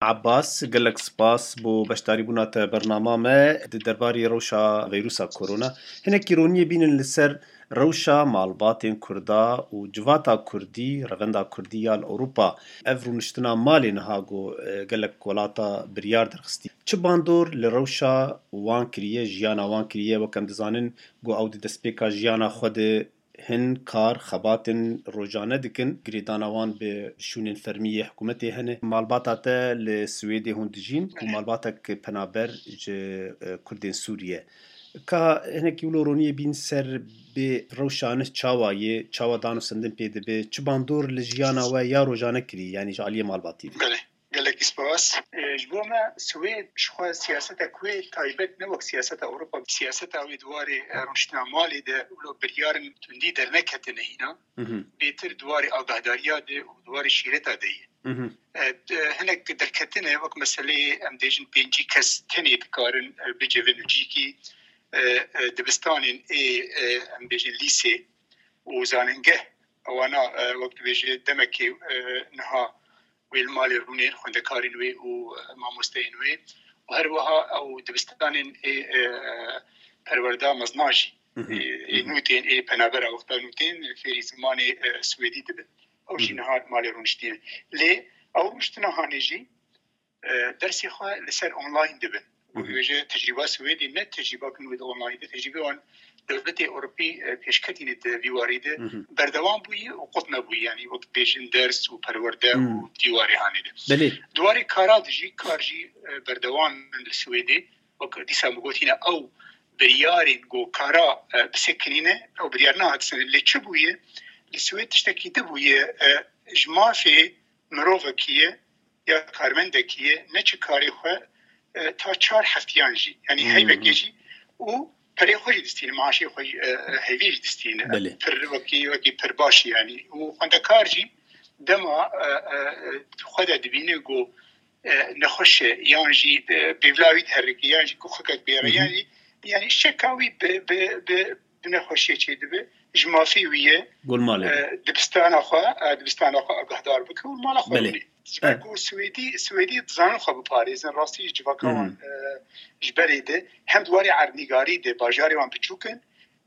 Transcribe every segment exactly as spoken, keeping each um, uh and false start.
Abbas, gelek spas bo beşdarîbûna te bernama me di derbarî rewşa veyrusa korona. Hinekî roniyê bînin li ser rewşa malbatên Kurda û civata Kurdî, revenda Kurdî ya li Ewropa. Ev rûniştina malê niha ku, e, gelek welata biryar derxistî. Çi bandor li rewşa wan kiriye, jiyana wan kiriye? Wek em dizanin ku ew di destpêka jiyana xwe de hin kar, xebatên rojane dikin. Girêdana wan bi şûnên fermî yê hikûmetê hene. Malbata te li Swêdê hûn dijîn û malbatek penaber ji, e, Kurdên Sûriye. Ka hinekî wilo roniyê bîn ser bê rewşa nih çawa ye, çawa dan û sendin pê dibe, çi bandor li jiyana we ya rojane kirî, yanî ji aliyê malbatî de? Belê. Gelekî spas. E, ji bo me Swêd ji xwe siyaseta ku yê taybet ne wek siyaseta Ewropa, siyaseta wê di warê, e, rûniştina malê de wilo biryarên tundî derneketine hîna. Mhm. Bêtir di warê agahdariya de û di warê şîreta de ye. Mhm. E, d-, hinek derketine wek meseleyê em dêjin pêncî kes tenê dikarin, e, bicivin û cîkî, e, e, dibistanên ê, e, em bêjin lîsê û zanîngeh. Ewana, e, wek dibêje demekê, e, niha wê li malê rûnên xwendekarên wê û, e, mamosteyên wê û her wiha ew dibistanên ê, e, perwerda mezna jî, Mhm. ê, ê Mhm. nûtên, ê penabera wexta nûtên fêrî zimanê, e, swêdî dibin. Ew jî Mhm. niha li malê rûniştî ne. Lê ew rûniştina hanê jî, e, dersê xwe li ser online dibin. Wek Mhm. dibêje tecrîba Swêdê ne tecrîba ku wê di online de, tecrîbê wan dewletê Ewropî, e, pêşketîne di vî warî de Mhm. berdewam bûye û qut nebûye, yanî wek dibêjin ders û perwerde û Mhm. dîwarê hanê de. Belê. Di warê kara de jî, kar jî, e, berdewam in li Swêdê. Wek dîsa min gotîne ew biryarên ku kara, e, bisekinîne, ew biryar nehat sendin. Lê çi bûye? Li Swêd tiştekî din bûye, e, ji mafê mirovekî ye ya karmendekî ye, ne çi karê xwe, e, ta çar heftiyan jî, yanî Hmm. heyvekê jî û perê xwe jî distîne, maaşê xwe jî, e, e, heyvê jî distîne. Belê. Pir wekî, wekî pir baş e yanî. Û xwendekar jî dema, e, e, e, xwe de dibîne ku, e, nexweş e, yan jî, e, pêvla wî diherike, yan jî ku xikek bêre, Hı hı. yan jî, yanî şeka wî bi, bi, bi, bi nexweşiyê çêdibe, ji mafê wî ye. Gul malê. E, dibistana xwe, e, dibistana xwe agahdar bike û mala xwe Belê. bimîne. Ji ber Evet. ku Swêdî, Swêdî dizanin xwe biparêzin. Rastî ji civaka Hı hı. wan, e, ji berê de hem di warê erdnîgarî de bajarê wan biçûk in,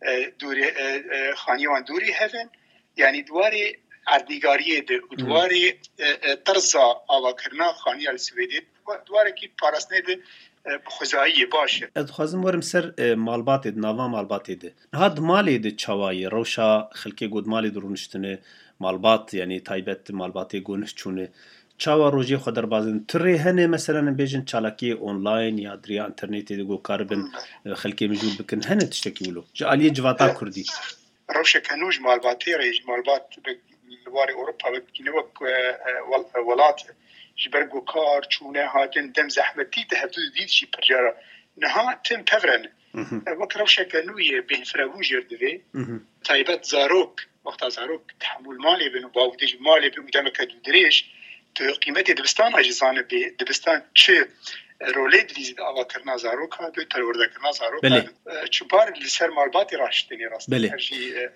e, dûrê, e, e, xaniyê wan dûrî hev in. Yanî di warê erdnîgariyê de û di Hı. warê, e, e, terza avakirina xaniya li Swêdê, di wa-, di warekî parastinê de, e, bi xwezayî ye, baş e. Ez dixwazim werim ser, e, malbatê, di nava malbatê de. Niha di malê de çawa ye? Rewşa xelkê ku di malê de rûniştine, malbat, yanî taybet malbatê ku nih çûne, çawa rojê xwe derbas dikin? Ti rê hene, meselen, em bêjin çalakiyê online ya di riya înternetê de ku karibin, Hmm. e, xelkê mijûl bikin? Hene tiştekî wilo? Ji aliyê civata E, Kurdî. Rewşeke nû ji malbatê re, ji malbat bi, li warê Ewropa wekî ne wek, e, e, wel-, e, welat. Ji ber ku kar, çûne, hatin, dem zehmetî di hevdû dît jî pir cara. Niha tim pevre ne. Mhm. E, wek rewşeke nû ye, bêhnfirebûn jêr divê. Mhm. Taybet zarok, wexta zarok tehemûl malê bin û bavdê ji malê bin û demeke dûdirêj, tu qîmetê dibistana jî zanibê, dibistan çi rolê dilîzî di avakirina zaroka, di perwerdekirina zaroka, Belê. e, çi bar li ser malbatê raştênê rast. Belê. Her jî, e,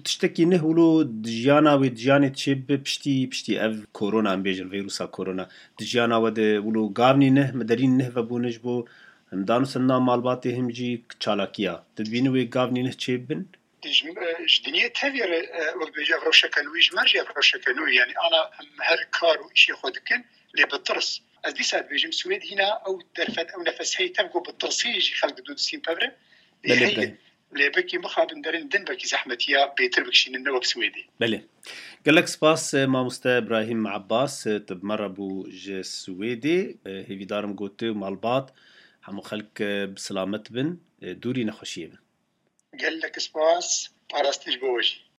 Tiştekî nih wilo di jiyana wê, di jiyanê çê bi piştî, piştî ev korona, em bêjin vîrusa korona. Di jiyana we de wilo gavnî nih, miderîn nih vebûne ji bo him dan û sendina malbatê, him jî çalakiya. Tu dibînî wê gavnî nih çê bibin? Ji, e, ji dinyê tevî re, e, wek dibêje ev rewşeke nû, ji me re jî ev rewşeke nû, yanî ana em her kar û îşê xwe dikin, lê bi tirs. Ez dîsa dibêjim, Swêd hîna ew derfet, ew nefes heye tev ku bi tirsî jî xelk dû distîn pevre. Lê Belê, heye, belê. lê belkî mixabin derin din belkî zehmetiya bêtir bikişînin ne wek Swêdê. Belê. Gelek spas, e, mamoste Ibrahîm Abbas, e, tu bi me re bû ji Swêdê. E, hêvîdarim ku tu, malbat, hemû xelk, e, bi silamet bin, e, dûrî nexweşiyê bin. Gelek spas, parastin ji bo we jî.